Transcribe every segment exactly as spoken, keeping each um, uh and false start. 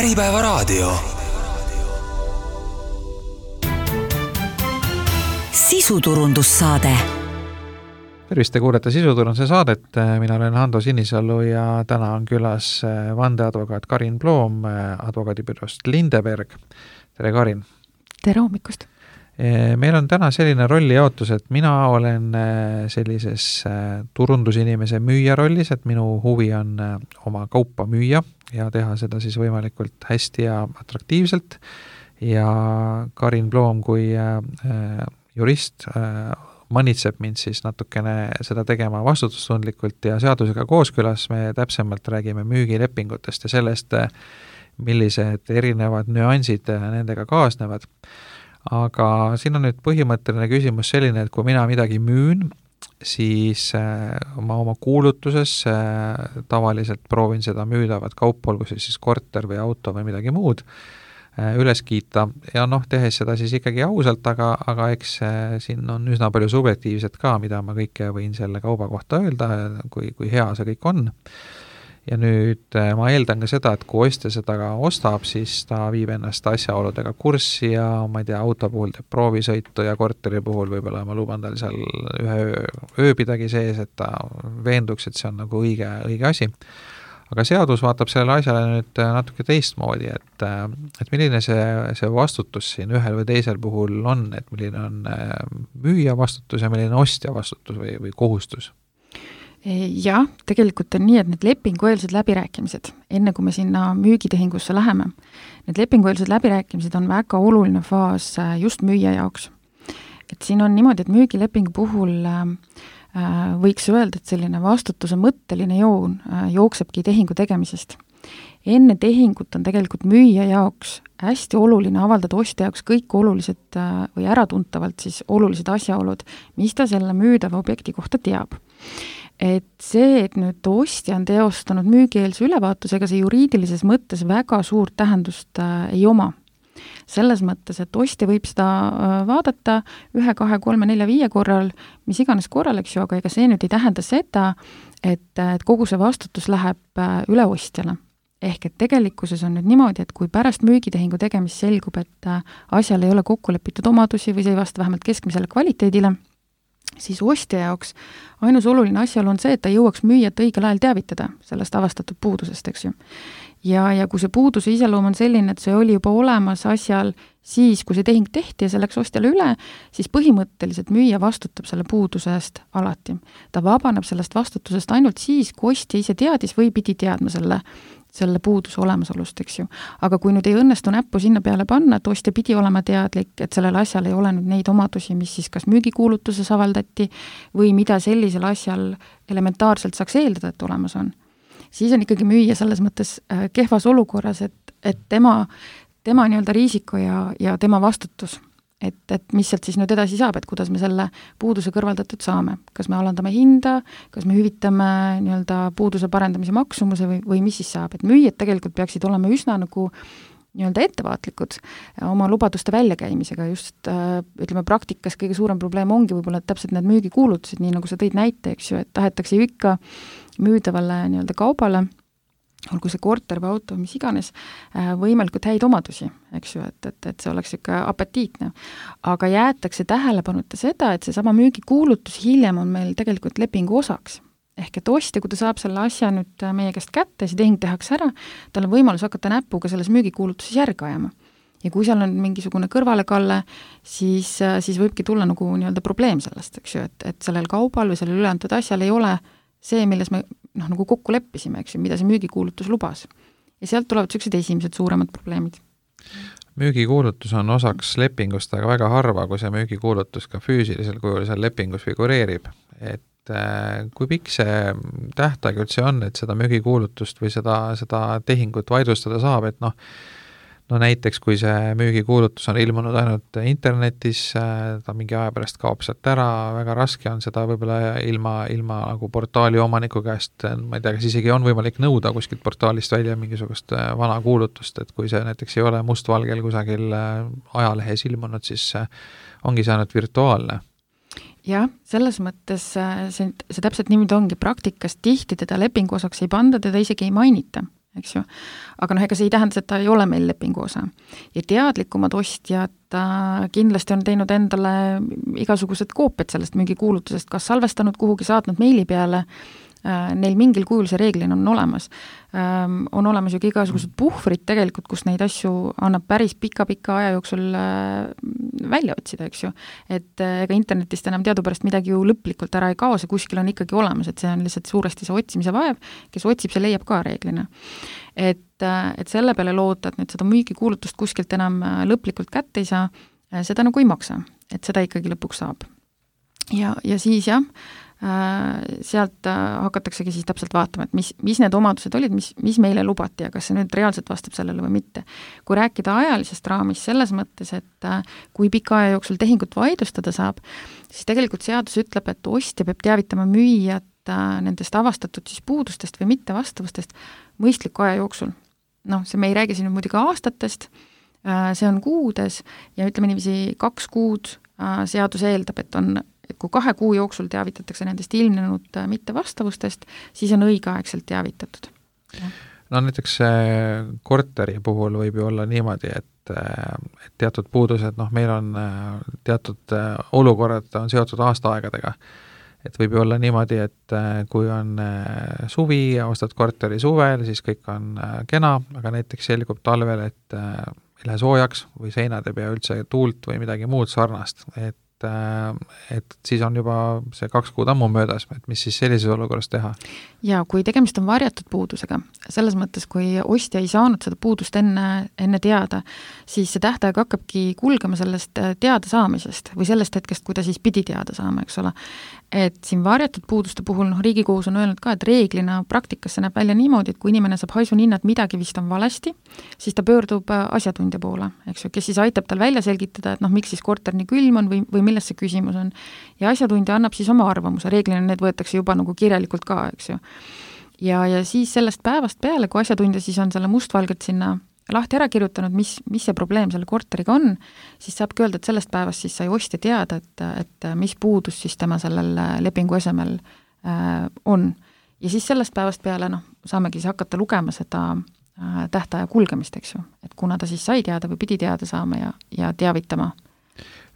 Äripäevaraadio. Sisuturundussaade. Tervist, te kuulete Sisuturunduse saadet. Mina olen Hando Sinisalu ja täna on külas vandeadvokaat Karin Ploom advokaadibüroost Lindeberg. Tere, Karin! Tere hommikust! Meil on täna selline rollijaotus, et mina olen sellises turundusinimese müüja rollis, et minu huvi on oma kaupa müüa ja teha seda siis võimalikult hästi ja atraktiivselt. Ja Karin Ploom kui jurist manitseb mind siis natukene seda tegema vastutustundlikult ja seadusega kooskõlas. Me täpsemalt räägime müügilepingutest ja sellest, millised erinevad nüansid nendega kaasnevad. Aga siin on nüüd põhimõtteline küsimus selline, et kui mina midagi müün, siis ma oma kuulutuses tavaliselt proovin seda müüdavat kaupa, olgu siis korter või auto või midagi muud, üles kiita ja noh, tehes seda siis ikkagi ausalt, aga, aga eks siin on üsna palju subjektiivset ka, mida ma kõike võin selle kauba kohta öelda, kui, kui hea see kõik on. Ja nüüd ma eeldan ka seda, et kui ostja seda ka ostab, siis ta viib ennast asjaoludega kurssi ja ma ei tea, auto puhul teeb proovisõitu ja korteri puhul võib-olla ma luban tal seal ühe öö, ööbidagi sees, et ta veenduks, et see on nagu õige, õige asi. Aga seadus vaatab sellele asjale nüüd natuke teistmoodi, et, et milline see, see vastutus siin ühel või teisel puhul on, et milline on müüja vastutus ja milline ostja vastutus või, või kohustus? Jah, tegelikult on nii, et need lepingueelsed läbirääkimised, enne kui me sinna müügitehingusse läheme, need lepingueelsed läbirääkimised on väga oluline faas just müüja jaoks. Et siin on niimoodi, et müügilepingu puhul võiks öelda, et selline vastutuse mõtteline joon jooksebki tehingu tegemisest. Enne tehingut on tegelikult müüja jaoks hästi oluline avaldada ostja jaoks kõik olulised või äratuntavalt siis olulised asjaolud, mis ta selle müüdava objekti kohta teab. Et see, et nüüd ostja on teostanud müügieelse ülevaatusega, see juriidilises mõttes väga suurt tähendust äh, ei oma. Selles mõttes, et ostja võib seda äh, vaadata ühe, kahe, kolme, nelja, viie korral, mis iganes korral, eks ju, aga ega see nüüd ei tähenda seda, et, et kogu see vastutus läheb äh, üle ostjale. Ehk et tegelikkuses on nüüd niimoodi, et kui pärast müügitehingu tegemist selgub, et äh, asjal ei ole kokku lepitud omadusi või see ei vasta vähemalt keskmisele kvaliteedile, siis ostja jaoks ainus oluline asjaolu on see, et ta jõuaks müüjat õigel ajal teavitada sellest avastatud puudusest, eks ju. Ja, ja kui see puuduse iseloom on selline, et see oli juba olemas asjal siis, kui see tehing tehti ja see läks ostjale üle, siis põhimõtteliselt müüja vastutab selle puuduse eest alati. Ta vabaneb sellest vastutusest ainult siis, kui ostja ise teadis või pidi teadma selle selle puuduse olemasolust, eks ju. Aga kui nüüd ei õnnestu näppu sinna peale panna, et ostja pidi olema teadlik, et sellel asjal ei ole nüüd neid omadusi, mis siis kas müügikuulutuses avaldati või mida sellisel asjal elementaarselt saaks eeldada, et olemas on, siis on ikkagi müüja selles mõttes kehvas olukorras, et, et tema, tema nii-öelda riisiko ja, ja tema vastutus. Et, et mis sealt siis nüüd edasi saab, et kuidas me selle puuduse kõrvaldatud saame. Kas me alandame hinda, kas me hüvitame nii-öelda puuduse parendamise maksumuse või, või mis siis saab. Et müüjad tegelikult peaksid olema üsna nagu nii-öelda ettevaatlikud oma lubaduste väljakäimisega. Just ütleme, praktikas kõige suurem probleem ongi võib-olla täpselt need müügikuulutused, nii nagu sa tõid näite, eks ju, et tahetakse ju ikka müüdavale nii-öelda kaubale, olgu see korter või auto, mis iganes, võimalikult häid omadusi, eks ju, et, et, et see oleks ikka apetiitne. Aga jäetakse tähelepanuta seda, et see sama müügikuulutus hiljem on meil tegelikult lepingu osaks. Ehk et ostja, kui ta saab selle asja nüüd meie käest kätte, see tehing tehakse ära, tal on võimalus hakata näpuga selles müügikuulutuses järgi ajama. Ja kui seal on mingisugune kõrvalekalle, siis, siis võibki tulla nagu nii-öelda probleem sellest, eks ju, et, et sellel kaubal või sellel üleantud asjal ei ole see, milles me noh, nagu kokku leppisime, eks ju, mida see müügikuulutus lubas. Ja sealt tulevad sellised esimesed suuremad probleemid. Müügikuulutus on osaks lepingust, aga väga harva, kui see müügikuulutus ka füüsilisel kujul seal lepingus figureerib. Et äh, kui pikk see tähtaeg üldse on, et seda müügikuulutust või seda, seda tehingut vaidlustada saab, et noh, no näiteks, kui see müügikuulutus on ilmunud ainult internetis, ta mingi aja pärast kaob sealt ära, väga raske on seda võib-olla ilma, ilma nagu portaali omaniku käest, ma ei tea, kas isegi on võimalik nõuda kuskilt portaalist välja mingisugust vana kuulutust, et kui see näiteks ei ole mustvalgel kusagil ajalehes ilmunud, siis ongi see ainult virtuaalne. Jah, selles mõttes see, see täpselt niimoodi ongi praktikas, tihti teda lepingu osaks ei panda, teda isegi ei mainita. eks ju. aga noh, ega see ei tähenda, et ta ei ole meil lepingu osa. ja teadlikumad ostjad äh, kindlasti on teinud endale igasugused koopiad sellest müügikuulutusest, kas salvestanud kuhugi, saatnud meili peale, neil mingil kujul see reeglina on olemas. On olemas ju igasugused puhvrid tegelikult, kus neid asju annab päris pika-pika aja jooksul välja otsida, eks ju. Et ega internetist enam teadupärast midagi ju lõplikult ära ei kao, see kuskil on ikkagi olemas, et see on lihtsalt suuresti see otsimise vaev, kes otsib, see leiab ka reeglina. Et, et selle peale loota, et nüüd seda müügikuulutust kuskilt enam lõplikult kätte ei saa, seda nagu ei maksa, et seda ikkagi lõpuks saab. Ja, ja siis jah, sealt hakataksegi siis täpselt vaatama, et mis, mis need omadused olid, mis, mis meile lubati ja kas see nüüd reaalselt vastab sellele või mitte. Kui rääkida ajalisest raamist selles mõttes, et kui pika aja jooksul tehingut vaidlustada saab, siis tegelikult seadus ütleb, et ostja peab teavitama müüjat nendest avastatud siis puudustest või mitte vastavustest mõistliku aja jooksul. Noh, see me ei räägi siin muidugi aastatest, see on kuudes ja ütleme niiviisi kaks kuud seadus eeldab, et on et kui kahe kuu jooksul teavitatakse nendest ilmnenud mittevastavustest, siis on õigeaegselt teavitatud. No näiteks korteri puhul võib ju olla niimoodi, et, et teatud puudused, noh meil on teatud olukorrad on seotud aastaaegadega. Et võib ju olla niimoodi, et kui on suvi ja ostad korteri suvel, siis kõik on kena, aga näiteks selgub talvel, et ei lähe soojaks või seinad ei pea üldse tuult või midagi muud sarnast, et et siis on juba see kaks kuud ammu möödas, et mis siis sellises olukorras teha? Ja kui tegemist on varjatud puudusega, selles mõttes, kui ostja ei saanud seda puudust enne, enne teada, siis see tähtaeg hakkabki kulgema sellest teada saamisest või sellest hetkest, kui ta siis pidi teada saama, eks ole. Et siin varjatud puuduste puhul, noh, Riigikohus on öelnud ka, et reeglina praktikas see näeb välja niimoodi, et kui inimene saab haisuninna, et midagi vist on valesti, siis ta pöördub asjatundja poole, eks ju, kes siis aitab tal välja selgitada, et noh, miks siis korter nii külm on või, või milles see küsimus on. Ja asjatundja annab siis oma arvamuse, reeglina need võetakse juba nagu kirjalikult ka, eks ju. Ja, ja siis sellest päevast peale, kui asjatundja siis on selle mustvalgelt sinna lahti ära kirjutanud, mis, mis see probleem selle korteriga on, siis saabki öelda, et sellest päevast siis sai ostja teada, et, et mis puudus siis tema sellel lepingu esemel äh, on. Ja siis sellest päevast peale noh, saamegi siis hakata lugema seda äh, tähtaja kulgemist, eks ju. Et kuna ta siis sai teada või pidi teada saama ja, ja teavitama.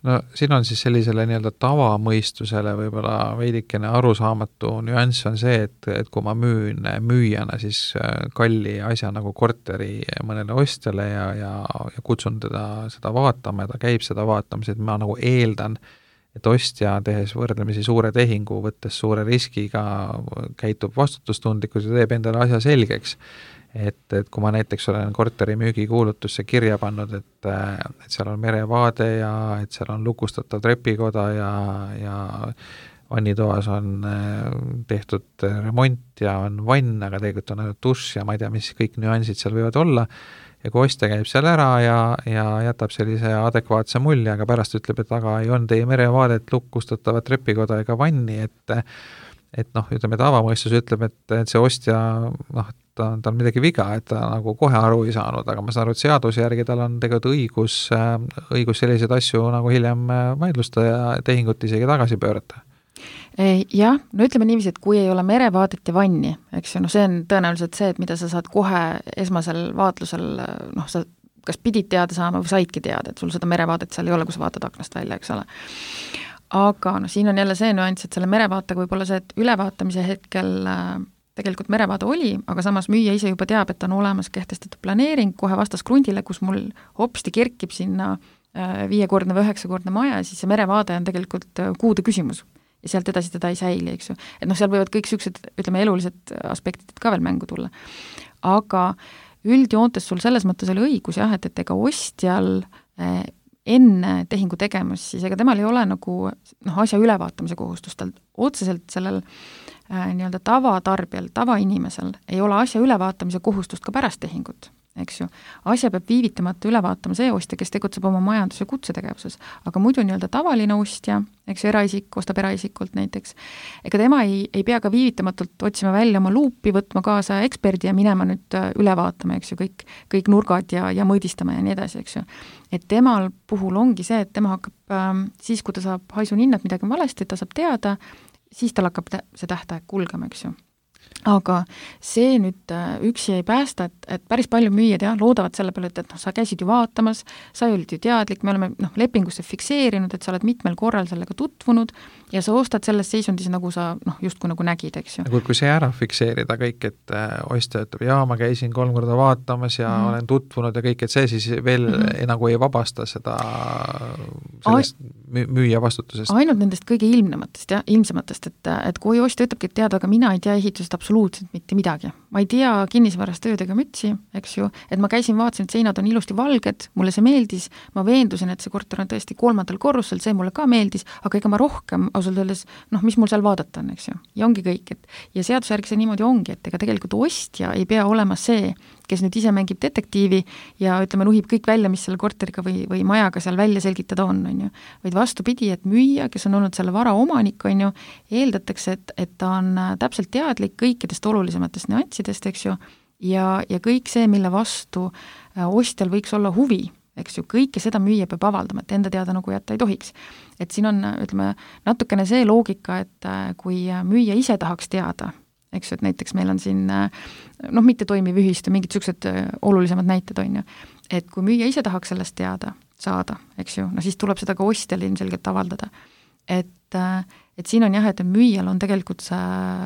No siin on siis sellisele nii-öelda tavamõistusele võib-olla veidikene arusaamatu nüanss on see, et, et kui ma müün müüjana siis kalli asja nagu korteri mõnele ostjale ja, ja, ja kutsun teda seda vaatama ja ta käib seda vaatamas, et ma nagu eeldan, et ostja tehes võrdlemisi suure tehingu, võttes suure riskiga, käitub vastutustundlikult ja teeb endale asja selgeks. Et, et kui ma näiteks olen korteri müügikuulutusse kirja pannud, et, et seal on merevaade ja et seal on lukustatav trepikoda ja, ja vannitoas on tehtud remont ja on vann, aga tegelikult on ainult dušš ja ma ei tea, mis kõik nüansid seal võivad olla. Ja kui ostja käib seal ära ja, ja jätab sellise adekvaatse mulje, aga pärast ütleb, et aga ei on teie merevaadet lukustatavat trepikoda ega vanni, et et noh, ütleme, tavamõistus ütleb, et, et see ostja, noh, ta, ta on midagi viga, et ta nagu kohe aru ei saanud, aga ma saan aru, et seaduse järgi tal on tegelikult õigus, õigus selliseid asju nagu hiljem vaidlusta ja tehingut isegi tagasi pöörata. Jah, no ütleme niiviisi, et kui ei ole merevaadet ja vanni, eks ju, no see on tõenäoliselt see, et mida sa saad kohe esmasel vaatlusel, noh, sa kas pidid teada saama või saidki teada, et sul seda merevaadet seal ei ole, kui sa vaatad aknast välja, eks ole. Aga no siin on jälle see nüanss, et selle merevaatega võib olla see, et ülevaatamise hetkel tegelikult merevaade oli, aga samas müüja ise juba teab, et on olemas kehtestatud planeering kohe vastas krundile, kus mul hopsti kerkib sinna viiekordne või üheksakordne maja, siis see merevaade on tegelikult kuude küsimus ja sealt edasi teda ei säili, eks ju. Et noh, seal võivad kõik süksed, ütleme, elulised aspektid ka veel mängu tulla. Aga üldjoontes sul selles mõttes oli õigus jah, et, et ega ostjal enne tehingu tegemist, siis ega temal ei ole nagu noh, asja ülevaatamise kohustust, tal otseselt sellel äh, nii-öelda tavatarbijal, tavainimesel ei ole asja ülevaatamise kohustust ka pärast tehingut, eks ju. Asja peab viivitamata üle vaatama see ostja, kes tegutseb oma majandus- ja kutsetegevuses, aga muidu nii-öelda tavaline ostja, eks ju, eraisik, ostab eraisikult näiteks, ega tema ei, ei pea ka viivitamatult otsima välja oma luupi, võtma kaasa eksperdi ja minema nüüd üle vaatama, eks ju, kõik, kõik nurgad ja, ja mõõdistama ja nii edasi, eks ju. Et temal puhul ongi see, et tema hakkab ähm, siis, kui ta saab haisuninna, et midagi on valesti, ta saab teada, siis tal hakkab see tähtaeg kulgema, eks ju. aga see nüüd üksi ei päästa, et, et päris palju müüjad jah, loodavad selle peale, et, et noh, sa käisid ju vaatamas, sa olid ju teadlik, me oleme noh, lepingusse fikseerinud, et sa oled mitmel korral sellega tutvunud ja sa ostad selles seisundis, nagu sa noh, justkui nagu nägid, eks ju. Kui, kui see ära fikseerida kõik, et äh, ostja ütleb, jaa, ma käisin kolm korda vaatamas ja mm -hmm. olen tutvunud ja kõik, et see siis veel mm -hmm. nagu ei vabasta seda sellest Ai müüja vastutusest. Ainult nendest kõige ilmnematest ja ilmsematest, et, et kui ostja ütlebki, et tead, aga mina ei tea ehitusest absoluutselt mitte midagi. Ma ei tea kinnisvarast tööd ega mütsi, eks ju, et ma käisin, vaatasin, et seinad on ilusti valged, mulle see meeldis, ma veendusin, et see korter on tõesti kolmandal korrusel, see mulle ka meeldis, aga ega ma rohkem ausalt öeldes, noh, mis mul seal vaadata on, eks ju. Ja ongi kõik, et ja seadusjärgi see niimoodi ongi, et ega tegelikult ostja ei pea olema see, kes nüüd ise mängib detektiivi ja ütleme, nuhib kõik välja, mis selle korteriga või, või majaga seal välja selgitada on, on ju. Vaid vastupidi, et müüja, kes on olnud selle vara omanik, on ju, eeldatakse, et, et ta on täpselt teadlik kõikidest olulisematest nüanssidest, eks ju, ja, ja kõik see, mille vastu ostjal võiks olla huvi, eks ju, kõike seda müüja peab avaldama, et enda teada nagu jätta ei tohiks. Et siin on, ütleme, natukene see loogika, et kui müüja ise tahaks teada, eks ju, et näiteks meil on siin noh, mitte toimiv ühistu, mingid niisugused olulisemad näited on ju, et kui müüja ise tahaks sellest teada saada, eks ju, no siis tuleb seda ka ostjal ilmselgelt avaldada. Et, et siin on jah, et müüjal on tegelikult see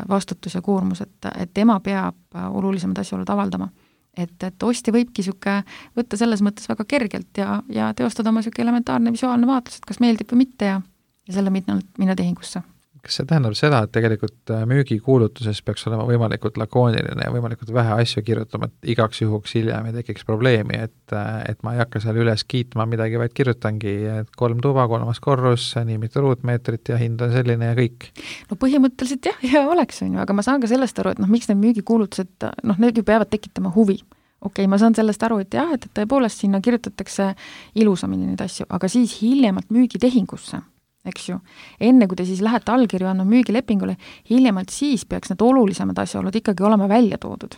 vastutus ja koormus, et, et tema peab olulisemad asjaolud avaldama. Et, et ostja võibki siuke võtta selles mõttes väga kergelt ja, ja teostada oma siuke elementaarne visuaalne vaatlus, et kas meeldib või mitte ja, ja selle minna, minna tehingusse. Kas see tähendab seda, et tegelikult müügikuulutuses peaks olema võimalikult lakooniline ja võimalikult vähe asju kirjutama, et igaks juhuks hiljem ei tekiks probleemi, et, et ma ei hakka seal üles kiitma midagi, vaid kirjutangi, et kolm tuba, kolmas korrus, nii mitu ruutmeetrit ja hind on selline ja kõik? No põhimõtteliselt jah, ja oleks, on ju, aga ma saan ka sellest aru, et noh, miks need müügikuulutused, noh, need ju peavad tekitama huvi. Okei, ma saan sellest aru, et jah, et tõepoolest sinna kirjutatakse ilusamini neid asju, aga siis hiljemalt müügitehingusse, eks ju, enne kui te siis lähete allkirju andma müügilepingule, hiljemalt siis peaks need olulisemad asjaolud ikkagi olema välja toodud.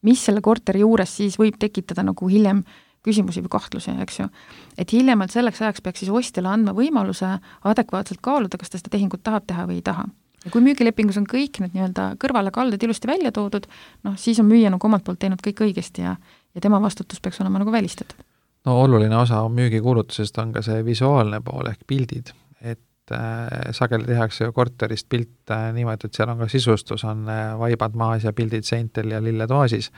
Mis selle korteri juures siis võib tekitada nagu hiljem küsimusi või kahtlusi, eks ju. Et hiljemalt selleks ajaks peaks siis ostjale andma võimaluse adekvaatselt kaaluda, kas ta seda tehingut tahab teha või ei taha. Ja kui müügilepingus on kõik need nii-öelda kõrvale kalded ilusti välja toodud, noh, siis on müüja nagu omalt poolt teinud kõik õigesti ja, ja tema vastutus peaks olema nagu välistatud. No oluline osa müügikuulutusest on ka see visuaalne pool ehk pildid, et sageli tehakse ju korterist pilt niimoodi, et seal on ka sisustus, on vaibad maas ja pildid seintel ja lilled vaasis.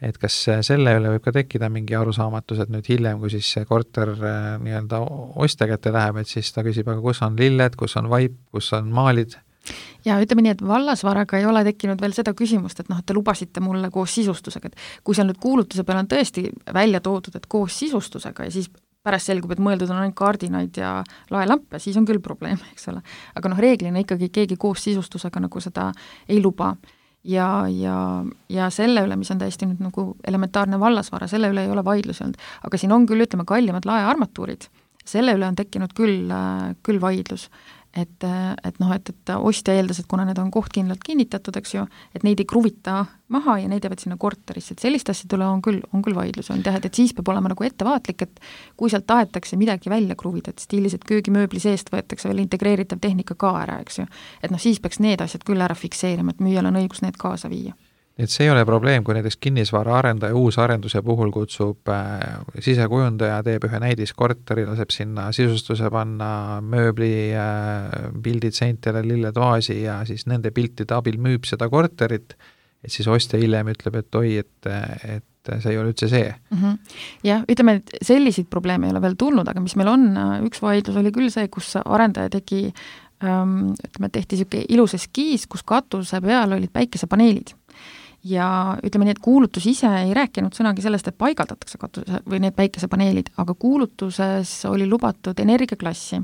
Et kas selle üle võib ka tekkida mingi arusaamatus, et nüüd hiljem, kui siis see korter nii-öelda ostja kätte läheb, et siis ta küsib, aga kus on lilled, kus on vaip, kus on maalid? Ja ütleme nii, et vallasvaraga ei ole tekkinud veel seda küsimust, et noh, et te lubasite mulle koos sisustusega, et kui seal nüüd kuulutuse peal on tõesti välja toodud, et koos sisustusega ja siis pärast selgub, et mõeldud on ainult kaardinaid ja laelampe, siis on küll probleem, eks ole. Aga noh, reeglina ikkagi keegi koos sisustusega nagu seda ei luba. Ja, ja, ja selle üle, mis on täiesti nüüd nagu elementaarne vallasvara, selle üle ei ole vaidlusi olnud. Aga siin on küll, ütleme, kallimad laearmatuurid. Selle üle on tekkinud küll, küll vaidlus. Et, et noh, et, et ostja eeldas, et kuna need on kohtkindlalt kinnitatud, eks ju, et neid ei kruvita maha ja neid jäävad sinna korterisse, et sellist asjad üle on küll, on küll vaidlus, on teha, et siis peab olema nagu ettevaatlik, et kui sealt tahetakse midagi välja kruvida, et stiilis, et köögimööbli seest võetakse veel integreeritav tehnika ka ära, eks ju, et noh, siis peaks need asjad küll ära fikseerima, et müüjal on õigus need kaasa viia. Et see ei ole probleem, kui näiteks kinnisvara arendaja uus arenduse puhul kutsub äh, sisekujundaja, teeb ühe näidiskorteri, laseb sinna sisustuse panna, mööbli, äh, pildid seintele, lilled vaasi ja siis nende piltide abil müüb seda korterit, et siis ostja hiljem ütleb, et oi, et, et see ei ole üldse see. Mm-hmm. Ja ütleme, et selliseid probleeme ei ole veel tulnud, aga mis meil on, üks vaidlus oli küll see, kus arendaja tegi, ähm, ütleme, tehti selline ilus eskiis, kus katuse peal olid päikesepaneelid. Ja ütleme nii, et kuulutus ise ei rääkinud sõnagi sellest, et paigaldatakse katuse või need päikesepaneelid, aga kuulutuses oli lubatud energiaklassi,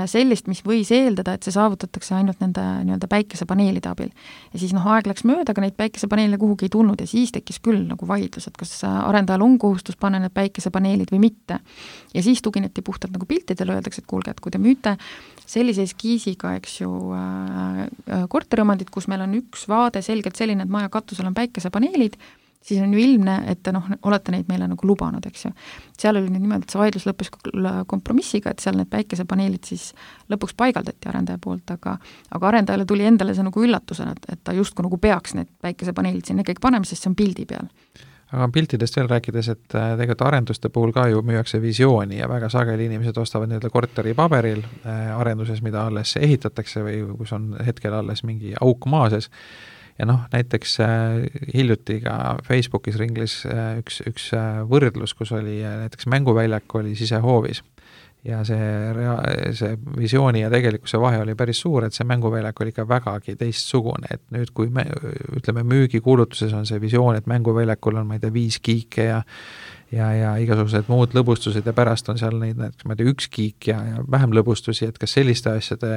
sellist, mis võis eeldada, et see saavutatakse ainult nende nii-öelda päikesepaneelide abil. Ja siis noh, aeg läks mööda, aga neid päikesepaneele kuhugi ei tulnud ja siis tekkis küll nagu vaidlus, et kas arendajal on kohustus panna need päikesepaneelid või mitte. Ja siis tugineti puhtalt nagu piltidele, öeldakse, et kuulge, et kui te müüte sellise eskiisiga, eks ju, äh, korteriomandit, kus meil on üks vaade selgelt selline, et maja katusel on päikesepaneelid siis on ju ilmne, et te noh, olete neid meile nagu lubanud, eks ju. Seal oli nüüd niimoodi, et see vaidlus lõppes kompromissiga, et seal need päikesepaneelid siis lõpuks paigaldati arendaja poolt, aga aga arendajale tuli endale see nagu üllatusena, et, et ta justkui nagu peaks need päikesepaneelid sinna kõik panema, sest see on pildi peal. Aga piltidest veel rääkides, et tegelikult arenduste puhul ka ju müüakse visiooni ja väga sageli inimesed ostavad nii-öelda korteri paberil arenduses, mida alles ehitatakse või kus on hetkel alles mingi auk maa sees. Ja noh, näiteks hiljuti ka Facebookis ringlis üks, üks võrdlus, kus oli näiteks mänguväljak oli sisehoovis. Ja see, rea-, see visiooni ja tegelikkuse vahe oli päris suur, et see mänguväljak oli ikka vägagi teistsugune, et nüüd kui me, ütleme müügikuulutuses on see visioon, et mänguväljakul on, ma ei tea, viis kiike ja ja, ja igasugused muud lõbustused ja pärast on seal neid, ma ei tea, üks kiik ja, ja vähem lõbustusi, et kas selliste asjade,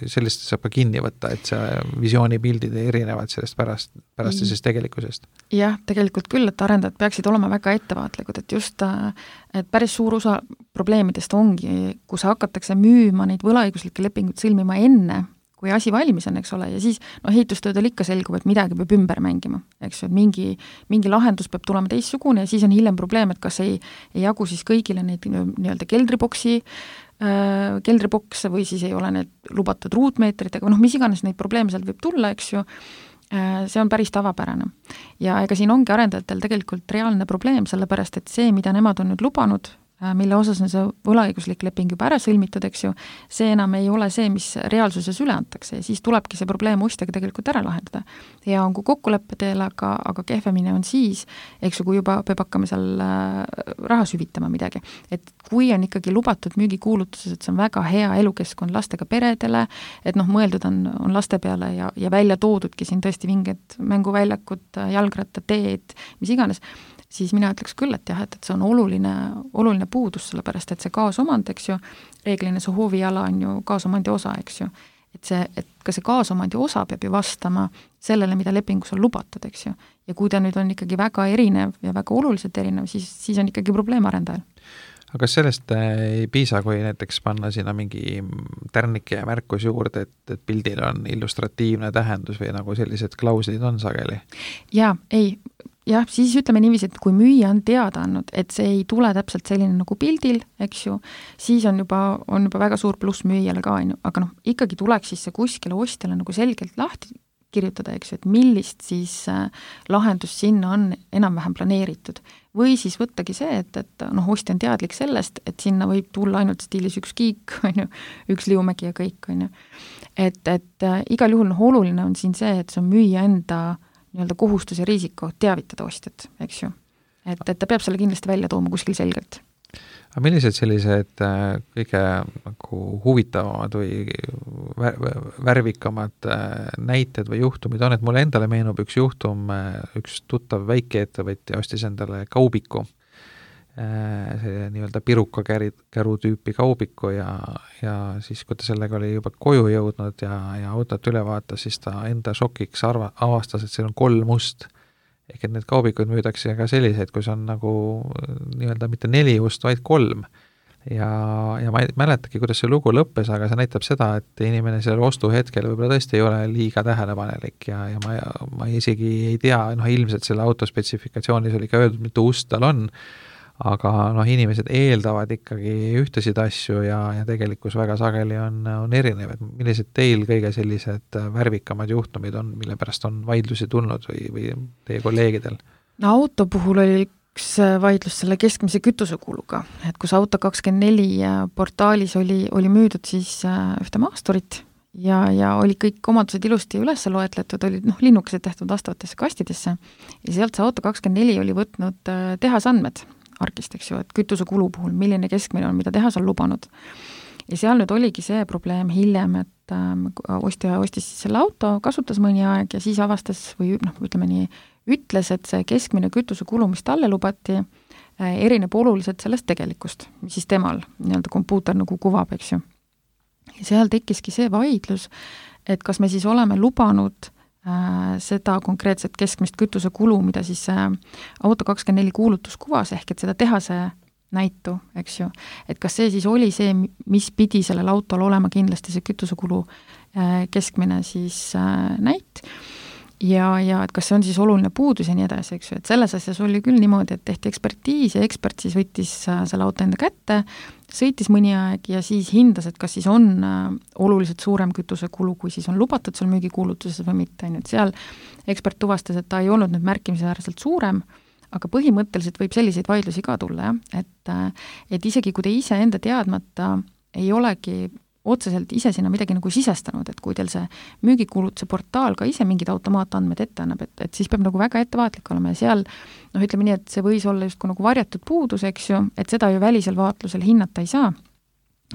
sellist saab ka kinni võtta, et see visioonipildid erinevad sellest pärast, pärast mm. siis tegelikkusest? Jah, tegelikult küll, et arendajad peaksid olema väga ettevaatlikud, et just et päris suur osa probleemidest ongi, kus hakatakse müüma neid võlaõiguslikke lepinguid sõlmima enne, kui asi valmis on, eks ole, ja siis no, ehitustöödel ikka selgub, et midagi peab ümber mängima, eks ju, et mingi, mingi lahendus peab tulema teistsugune ja siis on hiljem probleem, et kas ei, ei jagu siis kõigile neid nii-öelda keldriboksi, äh, keldribokse või siis ei ole need lubatud ruutmeetritega, noh, mis iganes neid probleeme sealt võib tulla, eks ju, äh, see on päris tavapärane. Ja ega siin ongi arendajatel tegelikult reaalne probleem, sellepärast et see, mida nemad on nüüd lubanud, mille osas on see võlaõiguslik leping juba ära sõlmitud, eks ju, see enam ei ole see, mis reaalsuses üle antakse ja siis tulebki see probleem ostjaga tegelikult ära lahendada. Ja on kui kokkuleppe teel, aga, aga kehvemine on siis, eks ju, kui juba peab hakkama seal raha süvitama midagi. Et kui on ikkagi lubatud müügikuulutuses, et see on väga hea elukeskkond lastega peredele, et noh, mõeldud on, on laste peale ja, ja välja toodudki siin tõesti mingid mänguväljakud, jalgrattateed, mis iganes, siis mina ütleks küll, et jah, et, et see on oluline, oluline puudus, sellepärast et see kaasomand, eks ju, reeglina see hooviala on ju kaasomandi osa, eks ju, et see, et ka see kaasomandi osa peab ju vastama sellele, mida lepingus on lubatud, eks ju, ja kui ta nüüd on ikkagi väga erinev ja väga oluliselt erinev, siis, siis on ikkagi probleem arendajal. Aga kas sellest ei piisa, kui näiteks panna sinna mingi tärnike ja märkus juurde, et, et pildil on illustratiivne tähendus või nagu sellised klauslid on sageli? Jaa, ei, jah, siis ütleme niiviisi, et kui müüja on teada andnud, et see ei tule täpselt selline nagu pildil, eks ju, siis on juba, on juba väga suur pluss müüjale ka, aga noh, ikkagi tuleks siis see kuskile ostjale nagu selgelt lahti kirjutada, eks ju, et millist siis äh, lahendust sinna on enam-vähem planeeritud. Või siis võttagi see, et, et noh, ostja on teadlik sellest, et sinna võib tulla ainult stiilis üks kiik, on ju, üks liumägi ja kõik, on ju. Et, et äh, igal juhul noh, oluline on siin see, et see on müüja enda nii-öelda kohustus ja riisiko teavitada ostjat, eks ju. Et, et ta peab selle kindlasti välja tooma kuskil selgelt. Aga millised sellised kõige nagu huvitavamad või värvikamad näited või juhtumid on, et mulle endale meenub üks juhtum, üks tuttav väikeettevõtja ostis endale kaubiku, see nii-öelda pirukakäru tüüpi kaubiku ja, ja siis, kui ta sellega oli juba koju jõudnud ja, ja autot üle vaatas, siis ta enda šokiks arva, avastas, et seal on kolm ust. Ehk et need kaubikud müüdakse ka selliseid, kus on nagu nii-öelda mitte neli ust, vaid kolm. Ja, ja ma ei mäletagi, kuidas see lugu lõppes, aga see näitab seda, et inimene sellel ostu hetkel võib-olla tõesti ei ole liiga tähelepanelik ja, ja ma, ma isegi ei tea, noh ilmselt selle autospetsifikatsiooniis oli ka öeldud, mitu ust tal on, aga noh, inimesed eeldavad ikkagi ühtesid asju ja, ja tegelikkus väga sageli on, on erinev, et millised teil kõige sellised värvikamad juhtumid on, mille pärast on vaidlusi tulnud või, või teie kolleegidel? No auto puhul oli üks vaidlus selle keskmise kütusekuluga, et kus Auto kakskümmend neli portaalis oli, oli müüdud siis ühte maasturit ja, ja oli kõik omadused ilusti üles loetletud, olid noh, linnukesed tehtud vastavatesse kastidesse ja sealt see Auto kakskümmend neli oli võtnud tehasandmed arkist, eks ju, et kütusekulu puhul, milline keskmine on, mida tehas on lubanud. Ja seal nüüd oligi see probleem hiljem, et ähm, ostja ostis siis selle auto, kasutas mõni aeg ja siis avastas või noh, ütleme nii, ütles, et see keskmine kütusekulu, mis talle lubati, äh, erineb oluliselt sellest tegelikust, mis siis temal nii-öelda kompuuter nagu kuvab, eks ju. Ja seal tekkiski see vaidlus, et kas me siis oleme lubanud äh, seda konkreetset keskmist kütusekulu, mida siis äh, Auto kakskümmend neli kuulutus kuvas, ehk et seda tehase näitu, eks ju, et kas see siis oli see, mis pidi sellel autol olema kindlasti see kütusekulu äh, keskmine siis äh, näit ja, ja et kas see on siis oluline puudus ja nii edasi, eks ju, et selles asjas oli küll niimoodi, et tehti ekspertiis ja ekspert siis võttis selle auto enda kätte, sõitis mõni aeg ja siis hindas, et kas siis on oluliselt suurem kütusekulu, kui siis on lubatud seal müügikuulutuses või mitte, et seal ekspert tuvastas, et ta ei olnud nüüd märkimisväärselt suurem, aga põhimõtteliselt võib selliseid vaidlusi ka tulla, jah, et, et isegi kui te ise enda teadmata ei olegi otseselt ise sinna midagi nagu sisestanud, et kui teil see müügikuulutuse portaal ka ise mingid automaatandmed ette annab, et, et siis peab nagu väga ettevaatlik olema ja seal, noh ütleme nii, et see võis olla justkui nagu varjatud puudus, eks ju, et seda ju välisel vaatlusel hinnata ei saa,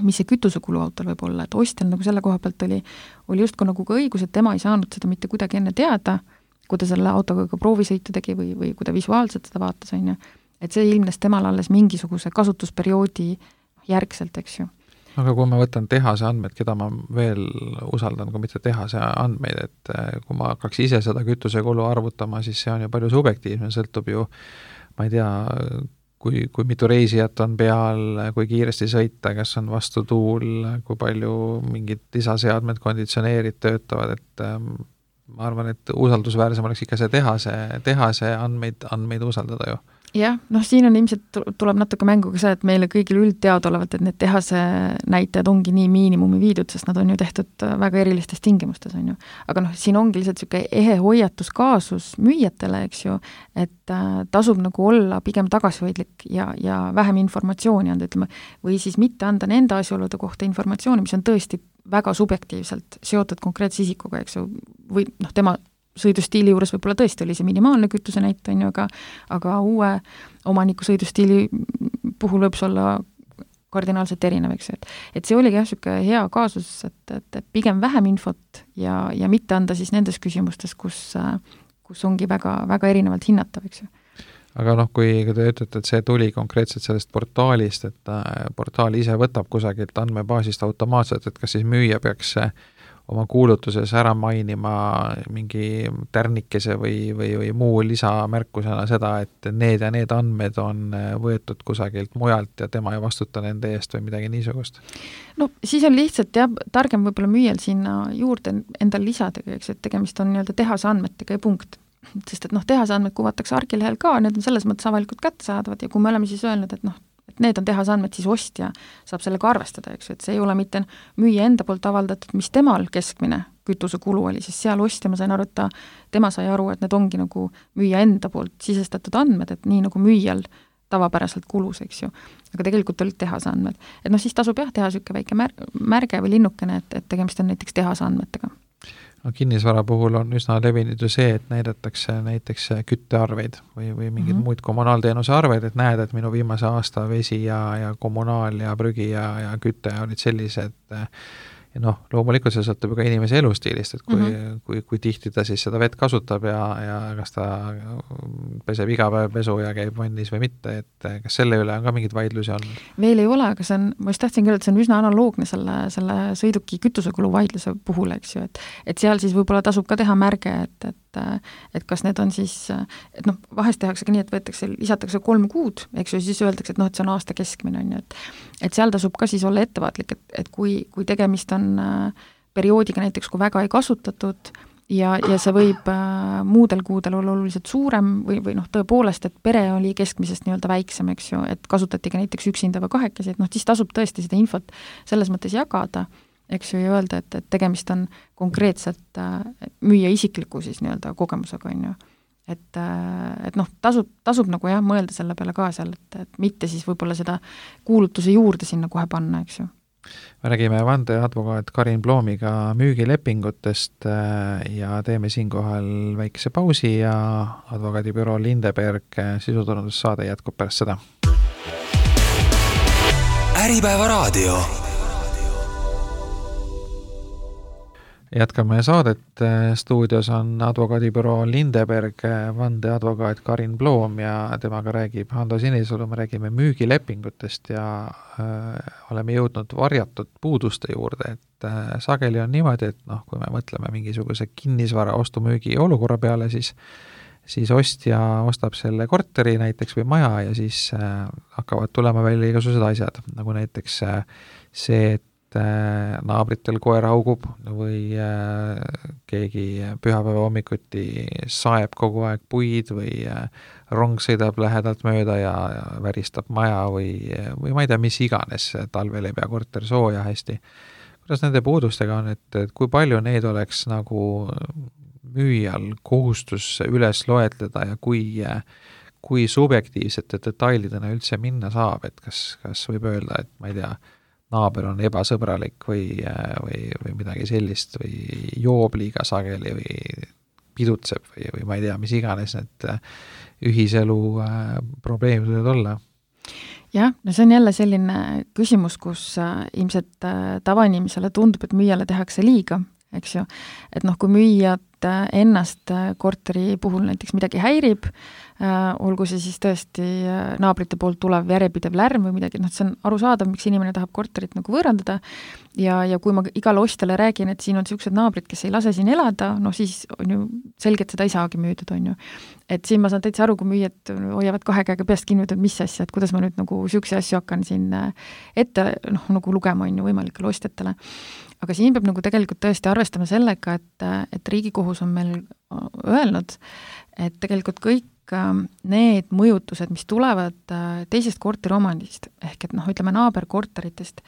mis see kütusekulu autol võib olla, et ostjal nagu selle koha pealt oli, oli justkui nagu ka õigus, et tema ei saanud seda mitte kuidagi enne teada, kui ta selle autoga ka proovisõitu tegi või, või kui ta visuaalselt seda vaatas, on ju, et see ilmnes temal alles mingisuguse kasutusperioodi järgselt, eks ju. Aga kui ma võtan tehase andmed, keda ma veel usaldan, kui mitte tehase andmeid, et kui ma hakkaks ise seda kütusekulu arvutama, siis see on ju palju subjektiivne, sõltub ju, ma ei tea, kui, kui mitu reisijat on peal, kui kiiresti sõita, kas on vastu tuul, kui palju mingid lisaseadmed, konditsioneerid töötavad, et ma arvan, et usaldusväärsem oleks ikka see tehase, tehase andmeid, andmeid usaldada ju. Jah, noh siin on ilmselt tuleb natuke mängu ka see, et meile kõigil üldteadolevalt, et need tehase näitajad ongi nii miinimumi viidud, sest nad on ju tehtud väga erilistes tingimustes, on ju. Aga noh, siin ongi lihtsalt niisugune ehe hoiatuskaasus müüjatele, eks ju, et äh, tasub nagu olla pigem tagasihoidlik ja, ja vähem informatsiooni anda, ütleme, või siis mitte anda nende asjaolude kohta informatsiooni, mis on tõesti väga subjektiivselt seotud konkreetse isikuga, eks ju, või noh, tema sõidustiili juures võib-olla tõesti oli see minimaalne kütuse näite, on ju, aga, aga uue omaniku sõidustiili puhul võib see olla kardinaalselt erinev, eks ju, et, et see oligi jah, niisugune hea kaasus, et, et, et pigem vähem infot ja, ja mitte anda siis nendes küsimustes, kus, kus ongi väga, väga erinevalt hinnatav, eks ju. Aga noh, kui te ütlete, et see tuli konkreetselt sellest portaalist, et portaal ise võtab kusagilt andmebaasist automaatselt, et kas siis müüja peaks oma kuulutuses ära mainima mingi tärnikese või, või, või muu lisamärkusena seda, et need ja need andmed on võetud kusagilt mujalt ja tema ei vastuta nende eest või midagi niisugust? No siis on lihtsalt jah, targem võib-olla müüjal sinna juurde endal lisada, eks, et tegemist on nii-öelda tehase andmetega ja punkt. Sest et noh, tehase andmed kuvatakse argilehel ka, need on selles mõttes avalikult kättesaadavad ja kui me oleme siis öelnud, et noh, et need on tehase andmed, siis ostja saab sellega arvestada, eks ju, et see ei ole mitte müüja enda poolt avaldatud, mis temal keskmine kütusekulu oli, siis seal ostja, ma sain aru, et ta, tema sai aru, et need ongi nagu müüja enda poolt sisestatud andmed, et nii nagu müüjal tavapäraselt kulus, eks ju. Aga tegelikult olid tehase andmed. Et noh, siis tasub jah, teha niisugune väike mär- märge või linnukene, et, et tegemist on näiteks tehase andmetega. No, kinnisvara puhul on üsna levinud ju see, et näidatakse näiteks küttearveid või, või mingid mm -hmm. muid kommunaalteenuse arveid, et näed, et minu viimase aasta vesi ja, ja kommunaal ja prügi ja, ja küte olid sellised. Ja noh, loomulikult see sõltub ka inimese elustiilist, et kui, mm -hmm. kui, kui tihti ta siis seda vett kasutab ja, ja kas ta peseb iga päev pesu ja käib vannis või mitte, et kas selle üle on ka mingid vaidlusi olnud? Veel ei ole, aga see on, ma just tahtsin küll, et see on üsna analoogne selle, selle sõiduki kütusekulu vaidluse puhul, eks ju, et, et seal siis võib-olla tasub ka teha märge, et, et et kas need on siis, et noh, vahest tehakse ka nii, et võetakse, lisatakse kolm kuud, eks ju, siis öeldakse, et noh, et see on aasta keskmine, on ju, et et seal tasub ka siis olla ettevaatlik, et, et kui, kui tegemist on perioodiga näiteks, kui väga ei kasutatud ja, ja see võib äh, muudel kuudel olla oluliselt suurem või, või noh, tõepoolest, et pere oli keskmisest nii-öelda väiksem, eks ju, et kasutati ka näiteks üksinda või kahekesi, et noh, siis tasub tõesti seda infot selles mõttes jagada, eks ju, ja öelda, et, et tegemist on konkreetselt äh, müüa isikliku siis nii-öelda kogemusega, on ju. Et, äh, et noh, tasub, tasub nagu jah, mõelda selle peale ka seal, et, et mitte siis võib-olla seda kuulutuse juurde sinna kohe panna, eks ju. Me räägime vandeadvokaat Karin Ploomiga müügilepingutest ja teeme siinkohal väikese pausi ja advokaadibüroo Lindeberg sisuturundussaade jätkub pärast seda. Äripäeva raadio. Jätkame saadet, stuudios on advokaadibüroo Lindeberg, vandeadvokaat Karin Ploom ja temaga räägib Hando Sinisalu, me räägime müügilepingutest ja äh, oleme jõudnud varjatud puuduste juurde, et äh, sageli on niimoodi, et noh, kui me mõtleme mingisuguse kinnisvara ostu-müügi olukorra peale, siis siis ostja ostab selle korteri näiteks või maja ja siis äh, hakkavad tulema välja igasugused asjad, nagu näiteks äh, see, et et naabritel koer haugub või keegi pühapäeva hommikuti saeb kogu aeg puid või rong sõidab lähedalt mööda ja, ja väristab maja või, või ma ei tea, mis iganes, talvel ei pea korter sooja hästi. Kuidas nende puudustega on, et, et kui palju neid oleks nagu müüjal kohustus üles loetleda ja kui, kui subjektiivsete detailidena üldse minna saab, et kas, kas võib öelda, et ma ei tea, naaber on ebasõbralik või, või, või midagi sellist või joob liiga sageli või pidutseb või, või ma ei tea, mis iganes need ühiselu probleemid võivad olla. Jah, no see on jälle selline küsimus, kus ilmselt tavainimesele tundub, et müüjale tehakse liiga, eks ju, et noh, kui müüjad ennast korteri puhul näiteks midagi häirib, olgu see siis tõesti naabrite poolt tulev järjepidev lärm või midagi, noh, see on arusaadav, miks inimene tahab korterit nagu võõrandada ja, ja kui ma igale ostjale räägin, et siin on niisugused naabrid, kes ei lase siin elada, no siis on ju selge, et seda ei saagi müüdud, on ju. Et siin ma saan täitsa aru, kui müüjad hoiavad kahe käega peast kinni, et mis asja, et kuidas ma nüüd nagu niisuguse asju hakkan siin ette noh, nagu lugema, on ju, võimalikele ostjatele. Aga siin peab nagu tegelikult tõesti arvestama sellega, et, et Riigikohus on meil öelnud, et tegelikult kõik need mõjutused, mis tulevad teisest korteriomandist, ehk et noh, ütleme naaberkorteritest,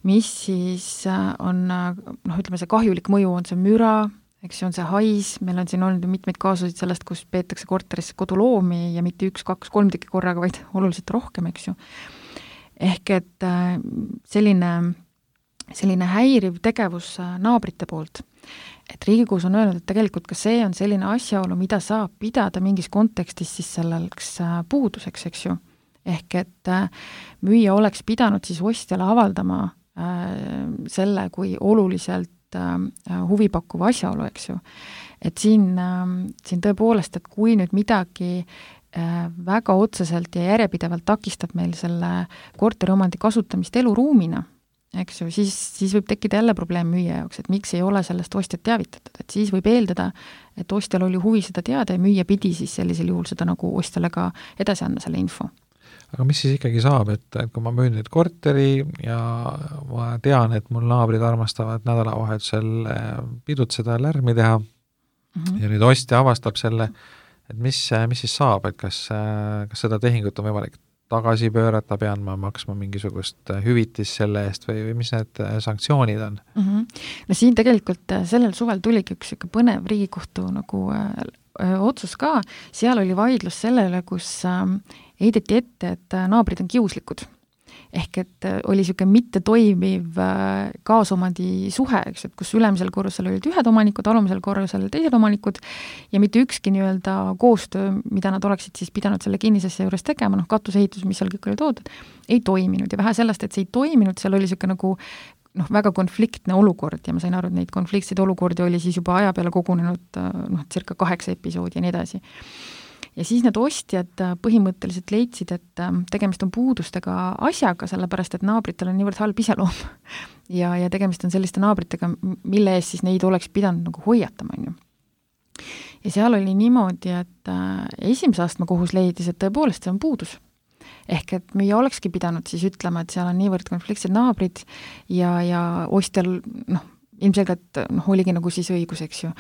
mis siis on, noh, ütleme see kahjulik mõju, on see müra, eks see on see hais, meil on siin olnud mitmeid kaasusid sellest, kus peetakse korterisse koduloomi ja mitte üks, kaks, kolm tükki korraga, vaid oluliselt rohkem, eks ju. Ehk et selline selline häiriv tegevus naabrite poolt. Et Riigikohus on öelnud, et tegelikult ka see on selline asjaolu, mida saab pidada mingis kontekstis siis selleks puuduseks, eks ju. Ehk et müüja oleks pidanud siis ostjale avaldama selle kui oluliselt huvipakkuva asjaolu, eks ju. Et siin, siin tõepoolest, et kui nüüd midagi väga otseselt ja järjepidevalt takistab meil selle korteriomandi kasutamist eluruumina, eks ju, siis, siis võib tekkida jälle probleem müüja jaoks, et miks ei ole sellest ostjat teavitatud, et siis võib eeldada, et ostjal oli huvi seda teada ja müüja pidi siis sellisel juhul seda nagu ostjale ka edasi andma selle info. Aga mis siis ikkagi saab, et, et kui ma müün nüüd korteri ja ma tean, et mul naabrid armastavad nädalavahetusel pidutseda, lärmi teha mm-hmm. ja nüüd ostja avastab selle, et mis, mis siis saab, et kas, kas seda tehingut on võimalik tagasi pöörata, pean ma maksma mingisugust hüvitis selle eest või, või mis need sanktsioonid on? Mm-hmm. No siin tegelikult sellel suvel tuligi üks põnev Riigikohtu nagu äh, otsus ka, seal oli vaidlus sellele, kus äh, heideti ette, et naabrid on kiuslikud. Ehk et oli niisugune mitte toimiv kaasomandi suhe, eks, et kus ülemisel korrusel olid ühed omanikud, alumisel korrusel teised omanikud ja mitte ükski nii-öelda koostöö, mida nad oleksid siis pidanud selle kinnisesse juures tegema, noh katusehitus, mis seal kõik oli toodud, ei toiminud ja vähe sellest, et see ei toiminud, seal oli niisugune nagu noh, väga konfliktne olukord ja ma sain aru, et neid konfliktseid olukordi oli siis juba aja peale kogunenud noh, circa kaheksa episoodi ja nii edasi. Ja siis need ostjad põhimõtteliselt leidsid, et tegemist on puudustega asjaga, sellepärast et naabritel on niivõrd halb iseloom ja, ja tegemist on selliste naabritega, mille eest siis neid oleks pidanud nagu hoiatama, on ju. Ja seal oli niimoodi, et esimese astme kohus leidis, et tõepoolest see on puudus. Ehk et müüja olekski pidanud siis ütlema, et seal on niivõrd konfliktsed naabrid ja, ja ostjal noh, ilmselgelt noh, oligi nagu siis õigus, eks ju.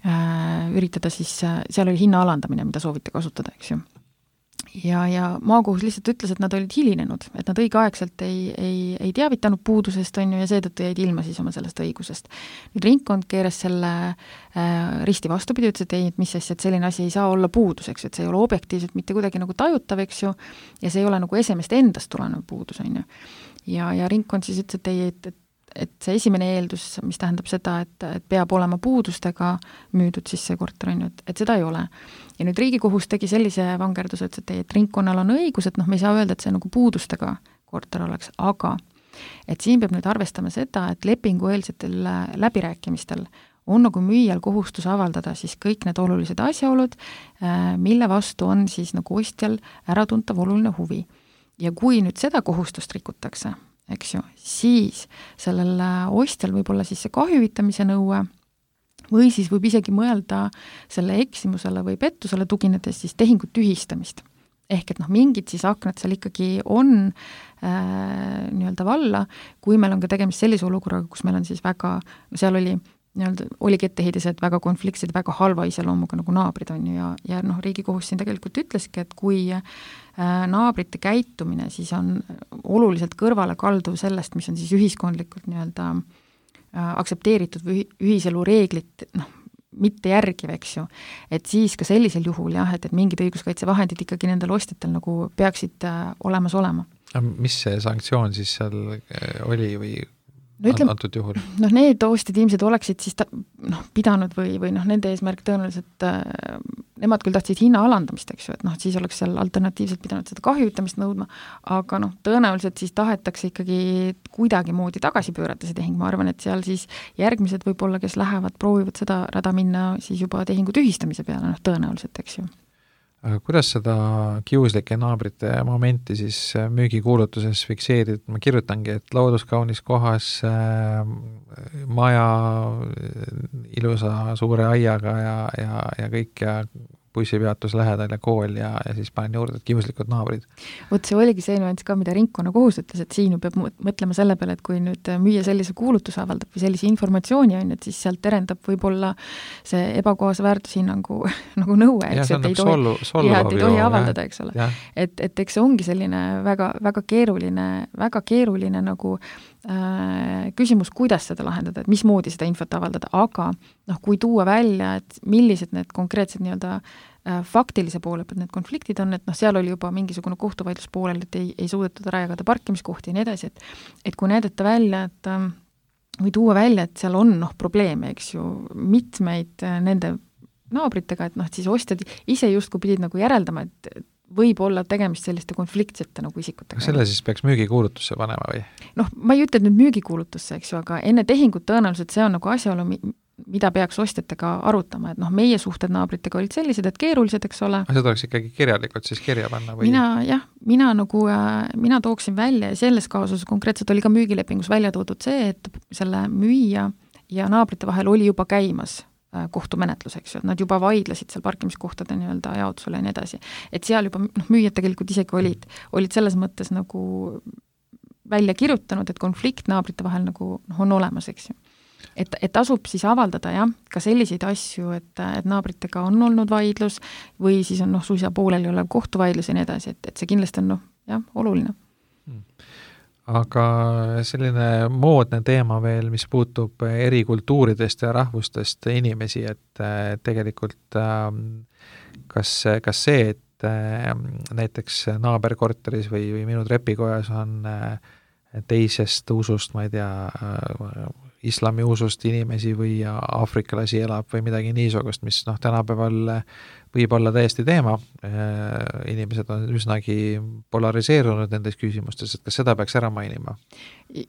Üritada siis, seal oli hinna alandamine, mida sooviti kasutada, eks ju. Ja, ja maakohus lihtsalt ütles, et nad olid hilinenud, et nad õigeaegselt ei, ei, ei teavitanud puudusest, on ju, ja seetõttu jäid ilma siis oma sellest õigusest. Nüüd ringkond keeras selle äh, risti vastupidi, ütles, et ei, et mis asja, et selline asi ei saa olla puudus, eks ju, et see ei ole objektiivselt mitte kuidagi nagu tajutav, eks ju, ja see ei ole nagu esemest endast tulenev puudus, on ju. Ja, ja ringkond siis ütles, et ei, et, et et see esimene eeldus, mis tähendab seda, et, et peab olema puudustega müüdud siis see korter, on ju, et, et seda ei ole. Ja nüüd Riigikohus tegi sellise vangerduse, et, et, et ringkonnal on õigus, et noh, me ei saa öelda, et see nagu puudustega korter oleks, aga et siin peab nüüd arvestama seda, et lepingueelsetel läbirääkimistel on nagu müüjal kohustus avaldada siis kõik need olulised asjaolud, mille vastu on siis nagu ostjal äratuntav oluline huvi. Ja kui nüüd seda kohustust rikutakse, eks ju, siis sellel ostjal võib olla siis see kahjuvitamise nõue või siis võib isegi mõelda selle eksimusele või pettusele tuginedes siis tehingut tühistamist. ehk et noh, mingid siis aknad seal ikkagi on äh, nii-öelda valla, kui meil on ka tegemist sellise olukorraga, kus meil on siis väga, no seal oli nii-öelda, oligi etteheidised väga konfliktsed, väga halva iseloomuga nagu naabrid on ju ja, ja noh, Riigikohus siin tegelikult ütleski, et kui äh, naabrite käitumine siis on oluliselt kõrvale kalduv sellest, mis on siis ühiskondlikult nii-öelda äh, aktsepteeritud või ühiselu reeglit, noh, mitte järgiv, eks ju, et siis ka sellisel juhul jah, et, et mingid õiguskaitsevahendid ikkagi nendel ostjatel nagu peaksid äh, olemas olema. Mis see sanktsioon siis seal oli või no ütleme, antud juhul? Noh, need ostjad ilmselt oleksid siis ta, noh, pidanud või, või noh, nende eesmärk tõenäoliselt äh, nemad küll tahtsid hinna alandamist, eks ju, et noh, siis oleks seal alternatiivselt pidanud seda kahjutamist nõudma, aga noh, tõenäoliselt siis tahetakse ikkagi kuidagimoodi tagasi pöörata see tehing, ma arvan, et seal siis järgmised võib-olla, kes lähevad, proovivad seda rada minna siis juba tehingu tühistamise peale, noh, tõenäoliselt, eks ju. Aga kuidas seda kiuslike naabrite momenti siis müügikuulutuses fikseerida? Ma kirjutangi, et looduskaunis kohas äh, maja ilusa suure aiaga ja, ja, ja kõik ja bussipeatus lähedal ja kool ja, ja siis panen juurde, et kiuslikud naabrid. Vot see oligi see nüanss ka, mida ringkonna kohus ütles, et siin ju peab mõtlema selle peale, et kui nüüd müüa sellise kuulutuse avaldab või sellise informatsiooni on, et siis sealt terendab võib-olla see ebakohase väärtushinnangu nagu nõue, eks, et ei tohi, ja, et ei tohi avaldada, eks ole. Et, et eks see ongi selline väga, väga keeruline, väga keeruline nagu äh, küsimus, kuidas seda lahendada, et mismoodi seda infot avaldada, aga noh, kui tuua välja, et millised need konkreetsed nii-öelda faktilise poole pealt need konfliktid on, et noh, seal oli juba mingisugune kohtuvaidlus poolel, et ei, ei suudetud ära jagada parkimiskohti ja nii edasi, et, et kui näidata välja, et või tuua välja, et seal on noh, probleeme, eks ju, mitmeid nende naabritega, et noh, siis ostjad ise justkui pidid nagu järeldama, et võib olla tegemist selliste konfliktsete nagu isikutega. Selle siis peaks müügikuulutusse panema või? Noh, ma ei ütle nüüd müügikuulutusse, eks ju, aga enne tehingut tõenäoliselt see on nagu asjaolu, mida peaks ostjatega arutama, et noh, meie suhted naabritega olid sellised, et keerulised, eks ole. Aga seda oleks ikkagi kirjalikult siis kirja panna või? Mina, jah, mina nagu, mina tooksin välja ja selles kaasuses konkreetselt oli ka müügilepingus välja toodud see, et selle müüja ja naabrite vahel oli juba käimas kohtumenetlus, eks ju, et nad juba vaidlesid seal parkimiskohtade nii-öelda jaotusele ja nii edasi. Et seal juba noh, müüjad tegelikult isegi olid, olid selles mõttes nagu välja kirjutanud, et konflikt naabrite vahel nagu noh, on olemas, eks ju. Et, et tasub siis avaldada jah, ka selliseid asju, et, et naabritega on olnud vaidlus või siis on noh, suisa pooleli olev kohtuvaidlus ja nii edasi, et, et see kindlasti on noh, jah, oluline. Aga selline moodne teema veel, mis puutub eri kultuuridest ja rahvustest inimesi, et tegelikult kas, kas see, et näiteks naaberkorteris või, või minu trepikojas on teisest usust, ma ei tea, islami usust inimesi või aafrikalasi elab või midagi niisugust, mis noh, tänapäeval võib olla täiesti teema. Inimesed on üsnagi polariseerunud nendes küsimustes, et kas seda peaks ära mainima?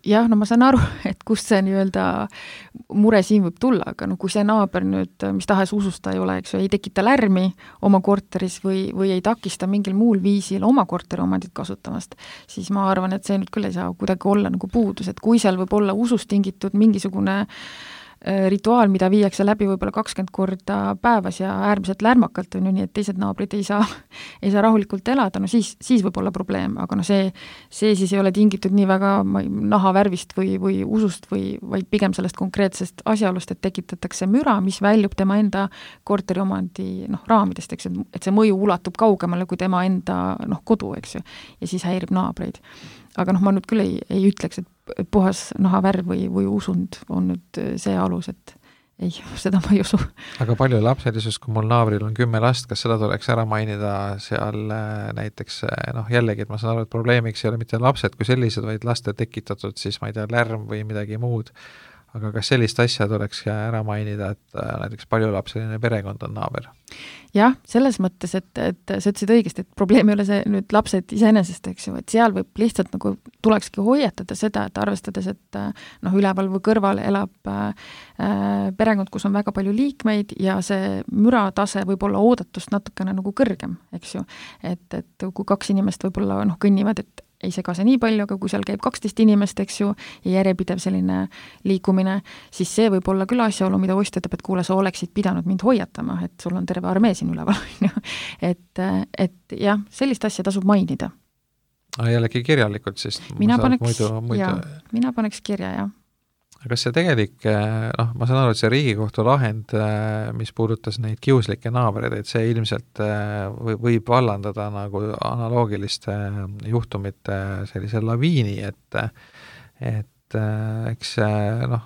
Jah, no ma saan aru, et kust see nii-öelda mure siin võib tulla, aga no kui see naaber nüüd, mis tahes ususta ei ole, eks ju, ei tekita lärmi oma korteris või, või ei takista mingil muul viisil oma korteri omandit kasutamast, siis ma arvan, et see nüüd küll ei saa kuidagi olla nagu puudus, et kui seal võib olla usust tingitud mingisugune rituaal, mida viiakse läbi võib-olla kakskümmend korda päevas ja äärmiselt lärmakalt on ju nii, et teised naabrid ei saa, ei saa rahulikult elada, no siis, siis võib olla probleem, aga no see, see siis ei ole tingitud nii väga nahavärvist või, või usust või vaid pigem sellest konkreetsest asjaolust, et tekitatakse müra, mis väljub tema enda korteriomandi noh, raamidest, eks, et see mõju ulatub kaugemale kui tema enda noh, kodu, eks ju, ja siis häirib naabreid. Aga noh, ma nüüd küll ei, ei ütleks, et puhas nahavärv või, või usund on nüüd see alus, et ei, seda ma ei usu. Aga palju lapselisus, kui mul naabril on kümme last, kas seda tuleks ära mainida seal näiteks, noh jällegi, et ma saan aru, et probleemiks ei ole mitte lapsed kui sellised, vaid laste tekitatud siis, ma ei tea, lärm või midagi muud. Aga kas sellist asja tuleks ära mainida, et näiteks paljulapseline perekond on naaber? Jah, selles mõttes, et, et sa ütlesid õigesti, et probleem ei ole see nüüd lapsed iseenesest, eks ju, et seal võib lihtsalt nagu tulekski hoiatada seda, et arvestades, et noh, üleval või kõrval elab äh, perekond, kus on väga palju liikmeid ja see müratase võib olla oodatust natukene nagu kõrgem, eks ju. Et, et kui kaks inimest võib-olla noh, kõnnivad, et ei segase nii palju, aga kui seal käib kaksteist inimest, eks ju, ja järjepidev selline liikumine, siis see võib olla küll asjaolu, mida ostja ütleb, et kuule, sa oleksid pidanud mind hoiatama, et sul on terve armee siin üleval. et, et jah, sellist asja tasub mainida. Jällegi kirjalikult, siis mina paneks, muidu, muidu... Ja, mina paneks kirja, jah. Kas see tegelik, noh, ma saan aru, et see Riigikohtu lahend, mis puudutas neid kiuslikke naabreid, et see ilmselt võib vallandada nagu analoogiliste juhtumite sellise laviini, et, et eks noh,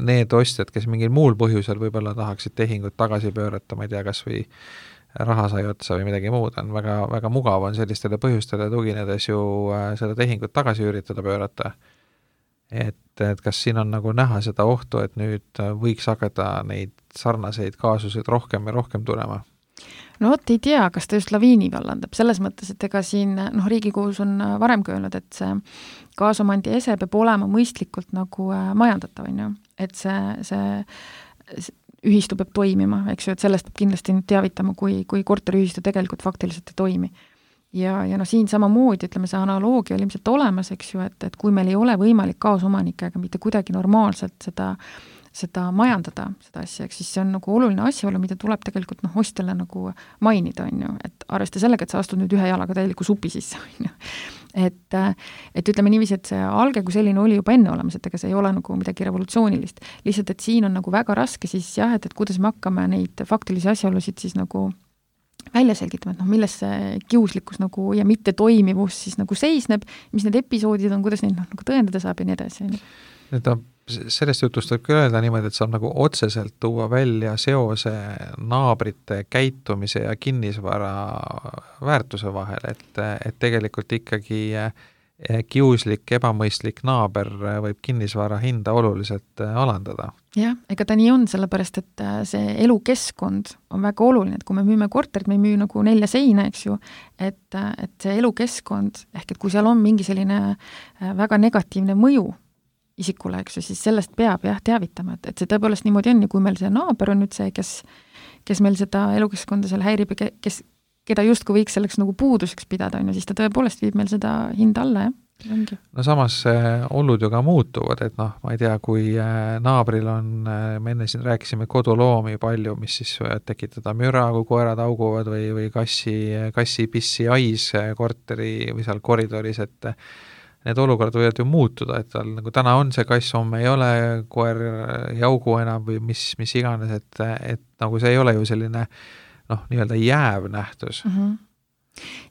need ostjad, kes mingil muul põhjusel võib-olla tahaksid tehingut tagasi pöörata, ma ei tea, kas või raha sai otsa või midagi muud, on väga, väga mugav on sellistele põhjustele tuginedes ju seda tehingut tagasi üritada pöörata. Et, et kas siin on nagu näha seda ohtu, et nüüd võiks hakata neid sarnaseid kaasuseid rohkem ja rohkem tulema? No vot, ei tea, kas ta just laviini vallandab, selles mõttes, et ega siin noh, Riigikohus on varem öelnud, et see kaasomandi ese peab olema mõistlikult nagu majandatav, on ju, et see, see, see ühistu peab toimima, eks ju, et sellest peab kindlasti teavitama, kui, kui korteriühistu tegelikult faktiliselt ei toimi. Ja, ja no siin samamoodi, ütleme, see analoogia oli ilmselt olemas, eks ju, et, et kui meil ei ole võimalik kaasomanikega mitte kuidagi normaalselt seda, seda majandada, seda asja, eks siis see on nagu oluline asjaolu, mida tuleb tegelikult noh, ostjale nagu mainida, on ju, et arvesta sellega, et sa astud nüüd ühe jalaga täieliku supi sisse, on ju. Et, et ütleme niiviisi, et see alge kui selline oli juba enne olemas, et ega see ei ole nagu midagi revolutsioonilist. Lihtsalt, et siin on nagu väga raske siis jah, et, et kuidas me hakkame neid faktilisi asjaolusid siis nagu välja selgitama, et noh, milles see kiuslikkus nagu ja mitte toimivus siis nagu seisneb, mis need episoodid on, kuidas neid noh, nagu tõendada saab ja nii edasi. Nüüd on, sellest jutust võib küll öelda niimoodi, et saab nagu otseselt tuua välja seose naabrite käitumise ja kinnisvara väärtuse vahel, et, et tegelikult ikkagi kiuslik, ebamõistlik naaber võib kinnisvara hinda oluliselt alandada. Jah, ega ta nii on, sellepärast, et see elukeskkond on väga oluline, et kui me müüme korterit, me ei müü nagu nelja seina, eks ju, et, et see elukeskkond, ehk et kui seal on mingi selline väga negatiivne mõju isikule, eks ju, siis sellest peab jah teavitama, et, et see tõepoolest niimoodi on ja kui meil see naaber on nüüd see, kes, kes meil seda elukeskkonda seal häirib ja kes keda justkui võiks selleks nagu puuduseks pidada, on ju, siis ta tõepoolest viib meil seda hinda alla, jah. Ongi. No samas olud ju ka muutuvad, et noh, ma ei tea, kui naabril on, me enne siin rääkisime koduloomi palju, mis siis tekitada müra, kui koerad auguvad või, või kassi, kassi pissi ais korteri või seal koridoris, et need olukorrad võivad ju muutuda, et tal nagu täna on see kass, homme ei ole, koer ei augu enam või mis, mis iganes, et, et nagu see ei ole ju selline noh, nii-öelda jääv nähtus. Mm -hmm.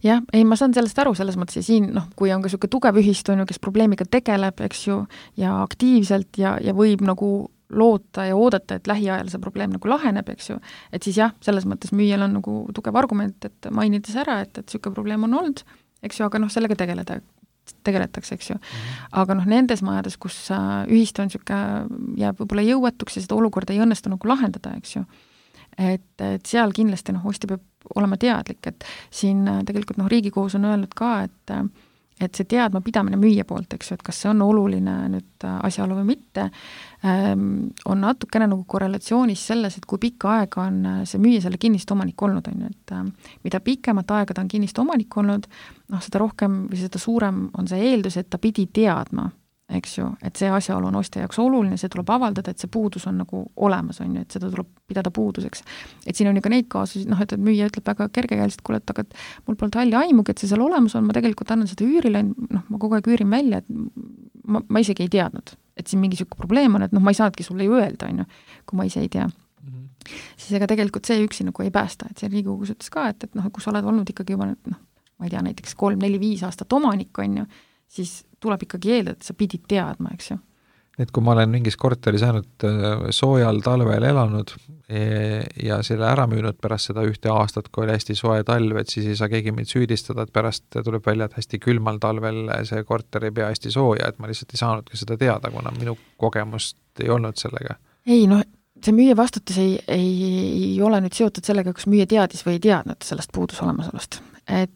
Jah, ei, ma saan sellest aru selles mõttes ja siin, noh, kui on ka selline tugev ühistu, on ju, kes probleemiga tegeleb, eks ju, ja aktiivselt ja, ja võib nagu loota ja oodata, et lähiajal see probleem nagu laheneb, eks ju, et siis jah, selles mõttes müüjal on nagu tugev argument, et mainides ära, et, et selline probleem on olnud, eks ju, aga noh, sellega tegeleda tegeletakse, eks ju. Aga noh, nendes majades, kus ühistu on selline, jääb võib-olla jõuetuks ja seda olukorda ei õnnestu nagu lahendada, eks ju, et, et seal kindlasti noh, ostja peab olema teadlik, et siin tegelikult noh, Riigikohus on öelnud ka, et et see teadma pidamine müüja poolt, eks ju, et kas see on oluline nüüd asjaolu või mitte, on natukene nagu korrelatsioonis selles, et kui pikka aega on see müüja selle kinnistu omanik olnud, on ju, et mida pikemat aega ta on kinnistu omanik olnud, noh, seda rohkem või seda suurem on see eeldus, et ta pidi teadma, eks ju, et see asjaolu on ostja jaoks oluline, see tuleb avaldada, et see puudus on nagu olemas, on ju, et seda tuleb pidada puuduseks. Et siin on ju ka neid kaasusid, noh, et müüja ütleb väga kergekäeliselt, kuule, et aga et mul polnud halli aimugi, et see seal olemas on, ma tegelikult annan seda üürile, noh, ma kogu aeg üürin välja, et ma, ma isegi ei teadnud, et siin mingi selline probleem on, et noh, ma ei saanudki sulle ju öelda, on ju, kui ma ise ei tea. Mm-hmm. Siis ega tegelikult see üksi nagu ei päästa, et see Riigikogus ütles ka, et, et noh, kui sa oled olnud ikkagi juba, noh, ma ei tea, näiteks kolm, neli, viis aastat omanik, on ju, siis tuleb ikkagi eeldada, et sa pidid teadma, eks ju. Et kui ma olen mingis korteris ainult soojal talvel elanud ja selle ära müünud pärast seda ühte aastat, kui oli hästi soe talv, et siis ei saa keegi mind süüdistada, et pärast tuleb välja, et hästi külmal talvel see korter ei pea hästi sooja, et ma lihtsalt ei saanudki seda teada, kuna minu kogemust ei olnud sellega. Ei, noh, see müüja vastutus ei, ei, ei ole nüüd seotud sellega, kas müüja teadis või ei teadnud sellest puudus olemasolust. Et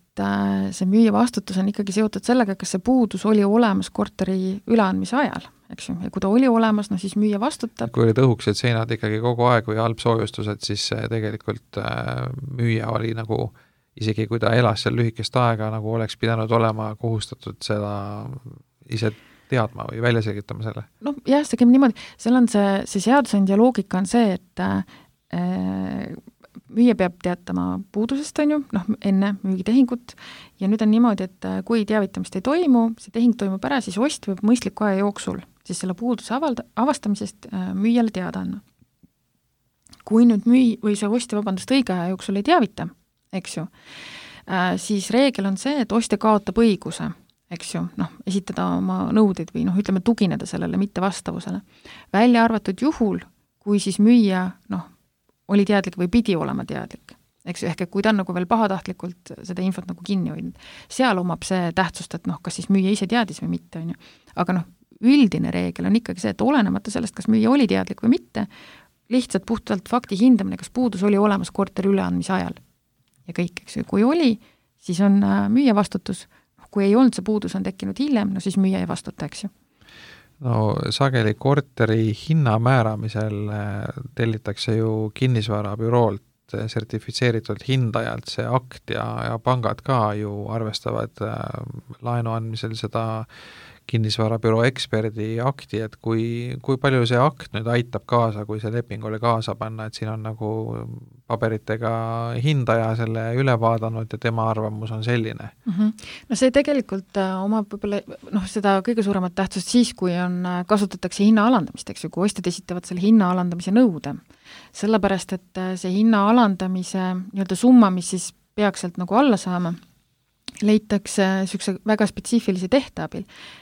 see müüja vastutus on ikkagi seotud sellega, kas see puudus oli olemas korteri üleandmise ajal, eks ju, ja kui ta oli olemas, no siis müüja vastutab. Kui olid õhuksed seinad ikkagi kogu aeg või halb soojustused, siis tegelikult müüja oli nagu isegi kui ta elas seal lühikest aega, nagu oleks pidanud olema kohustatud seda ise teadma või välja selgitama selle? noh, jah, see käib niimoodi, seal on see, see seadusandja loogika on see, et äh, müüja peab teatama puudusest, on ju, noh, enne müügitehingut, ja nüüd on niimoodi, et kui teavitamist ei toimu, see tehing toimub ära, siis ost võib mõistliku aja jooksul siis selle puuduse avalda, avastamisest äh, müüjale teada anna. Kui nüüd müü- või see ostja, vabandust, õige aja jooksul ei teavita, eks ju, äh, siis reegel on see, et ostja kaotab õiguse, eks ju, noh, esitada oma nõudeid või noh, ütleme, tugineda sellele mittevastavusele. Välja arvatud juhul, kui siis müüja, noh, oli teadlik või pidi olema teadlik, eks ju, ehk et kui ta on nagu veel pahatahtlikult seda infot nagu kinni hoidnud, seal omab see tähtsust, et noh, kas siis müüja ise teadis või mitte, on ju. Aga noh, üldine reegel on ikkagi see, et olenemata sellest, kas müüja oli teadlik või mitte, lihtsalt puhtalt fakti hindamine, kas puudus oli olemas korteri üleandmise ajal. Ja kõik, eks ju, kui oli, siis on müüja vastutus, kui ei olnud, see puudus on tekkinud hiljem, no siis müüja ei vastuta, eks ju. No sageli korteri hinna määramisel tellitakse ju kinnisvarabüroolt sertifitseeritud hindajalt see akt ja, ja pangad ka ju arvestavad laenu andmisel seda kinnisvarabüroo eksperdi akti, et kui, kui palju see akt nüüd aitab kaasa, kui see leping oli kaasa panna, et siin on nagu paberitega hindaja selle üle vaadanud ja tema arvamus on selline. Mm-hmm. No see tegelikult omab võib-olla noh, seda kõige suuremat tähtsust siis, kui on, kasutatakse hinna alandamist, eks ju, kui ostjad esitavad selle hinna alandamise nõude. Sellepärast, et see hinna alandamise nii-öelda summa, mis siis peaks sealt nagu alla saama, leitakse niisuguse väga spetsiifilise tehte abil.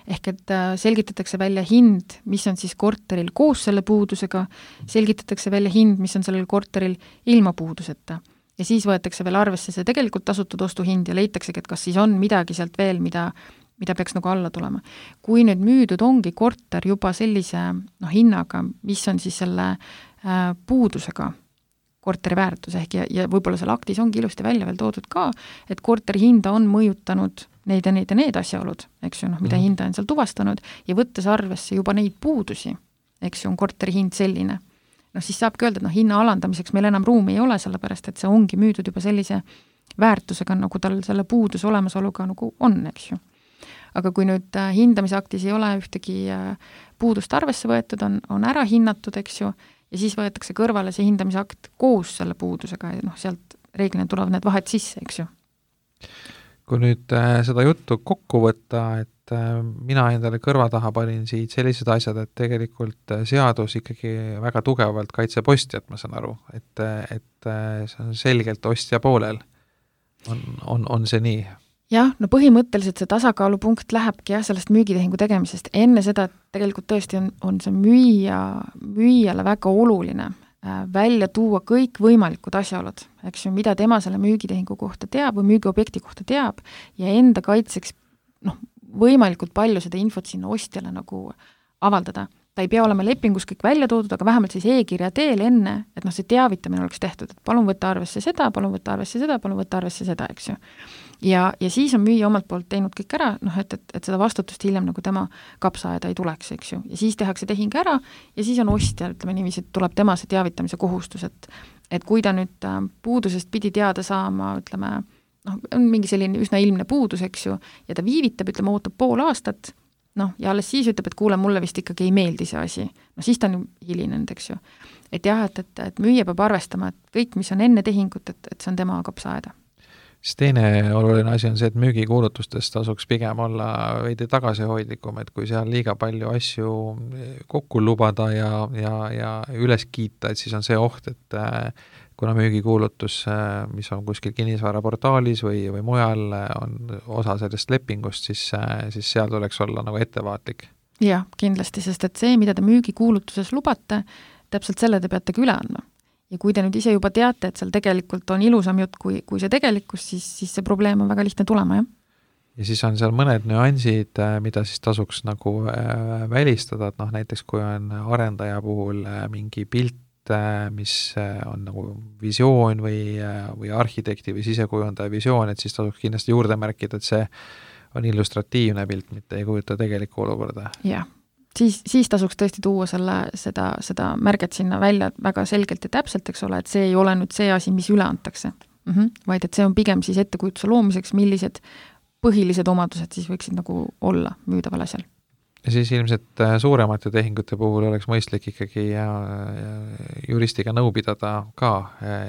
Ehk et selgitatakse välja hind, mis on siis korteril koos selle puudusega, selgitatakse välja hind, mis on sellel korteril ilma puuduseta. Ja siis võetakse veel arvesse see tegelikult tasutud ostuhind ja leitaksegi, et kas siis on midagi sealt veel, mida, mida peaks nagu alla tulema. Kui nüüd müüdud ongi korter juba sellise noh, hinnaga, mis on siis selle äh, puudusega, korteri väärtus ehk ja, ja võib-olla seal aktis ongi ilusti välja veel toodud ka, et korteri hinda on mõjutanud neid ja neid ja need asjaolud, eks ju, noh, mida mm. hinda on seal tuvastanud ja võttes arvesse juba neid puudusi, eks ju, on korteri hind selline. No siis saabki öelda, et noh, hinna alandamiseks meil enam ruumi ei ole, sellepärast et see ongi müüdud juba sellise väärtusega, nagu tal selle puuduse olemasoluga nagu on, eks ju. Aga kui nüüd hindamisaktis ei ole ühtegi puudust arvesse võetud, on, on ära hinnatud, eks ju, ja siis võetakse kõrvale see hindamisakt koos selle puudusega ja noh, sealt reeglina tulevad need vahed sisse, eks ju. Kui nüüd äh, seda juttu kokku võtta, et äh, mina endale kõrva taha panin siit sellised asjad, et tegelikult seadus ikkagi väga tugevalt kaitseb ostjat, ma saan aru, et, et see on selgelt ostja poolel. On, on, on see nii? Jah, no põhimõtteliselt see tasakaalupunkt lähebki jah, sellest müügitehingu tegemisest. Enne seda tegelikult tõesti on, on see müüja, müüjale väga oluline äh, välja tuua kõik võimalikud asjaolud, eks ju, mida tema selle müügitehingu kohta teab või müügiobjekti kohta teab ja enda kaitseks noh, võimalikult palju seda infot sinna ostjale nagu avaldada. Ta ei pea olema lepingus kõik välja toodud, aga vähemalt siis e-kirja teel enne, et noh, see teavitamine oleks tehtud, et palun võtta arvesse seda, palun võtta arvesse seda, palun võtta arvesse seda, eks ju. Ja, ja siis on müüja omalt poolt teinud kõik ära, noh, et, et, et seda vastutust hiljem nagu tema kapsaaeda ei tuleks, eks ju. Ja siis tehakse tehing ära ja siis on ostja, ütleme niiviisi, et tuleb tema see teavitamise kohustus, et, et kui ta nüüd puudusest pidi teada saama, ütleme, noh, on mingi selline üsna ilmne puudus, eks ju, ja ta viivitab, ütleme, ootab pool aastat, noh, ja alles siis ütleb, et kuule, mulle vist ikkagi ei meeldi see asi. No siis ta on hilinenud, eks ju. Et jah, et, et, et müüja peab arvestama, et kõik, mis on enne tehingut, et, et see on tema kapsaaeda. Siis teine oluline asi on see, et müügikuulutustest tasuks pigem olla veidi tagasihoidlikum, et kui seal liiga palju asju kokku lubada ja, ja, ja üles kiita, et siis on see oht, et kuna müügikuulutus, mis on kuskil kinnisvaraportaalis või, või mujal, on osa sellest lepingust, siis, siis seal tuleks olla nagu ettevaatlik. Jah, kindlasti, sest et see, mida te müügikuulutuses lubate, täpselt selle te peate üle andma. Ja kui te nüüd ise juba teate, et seal tegelikult on ilusam jutt kui, kui see tegelikkus, siis, siis see probleem on väga lihtne tulema, jah. Ja siis on seal mõned nüansid, mida siis tasuks nagu välistada, et noh, näiteks kui on arendaja puhul mingi pilt, mis on nagu visioon või, või arhitekti või sisekujundaja visioon, et siis tasuks kindlasti juurde märkida, et see on illustratiivne pilt, mitte ei kujuta tegelikku olukorda. Jah, siis, siis tasuks tõesti tuua selle, seda, seda märget sinna välja väga selgelt ja täpselt, eks ole, et see ei ole nüüd see asi, mis üle antakse, mm-hmm. vaid et see on pigem siis ettekujutuse loomiseks, millised põhilised omadused siis võiksid nagu olla müüdaval asjal. Ja siis ilmselt suuremate tehingute puhul oleks mõistlik ikkagi juristiga nõu pidada ka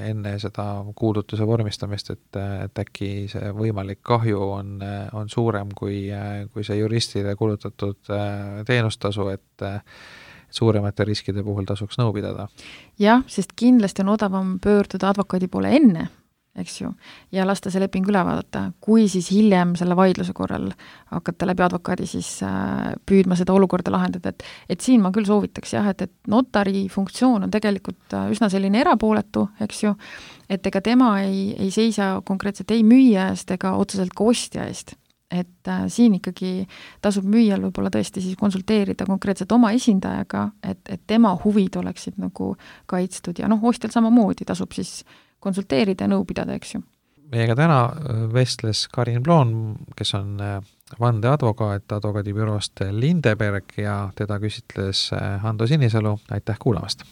enne seda kuulutuse vormistamist, et, et äkki see võimalik kahju on, on suurem kui, kui see juristile kulutatud teenustasu, et suuremate riskide puhul tasuks nõu pidada. Jah, sest kindlasti on odavam pöörduda advokaadi poole enne, eks ju, ja lasta see leping üle vaadata, kui siis hiljem selle vaidluse korral hakata läbi advokaadi siis püüdma seda olukorda lahendada, et, et siin ma küll soovitaks jah, et, et notari funktsioon on tegelikult üsna selline erapooletu, eks ju, et ega tema ei, ei seisa konkreetselt ei müüja eest ega otseselt ka ostja eest. Et äh, siin ikkagi tasub müüjal võib-olla tõesti siis konsulteerida konkreetselt oma esindajaga, et, et tema huvid oleksid nagu kaitstud ja noh, ostjal samamoodi tasub siis konsulteerida ja nõu pidada, eks ju. Meiega täna vestles Karin Ploon, kes on vandeadvokaat advokaadibüroost Lindeberg ja teda küsitles Hando Sinisalu. Aitäh kuulamast!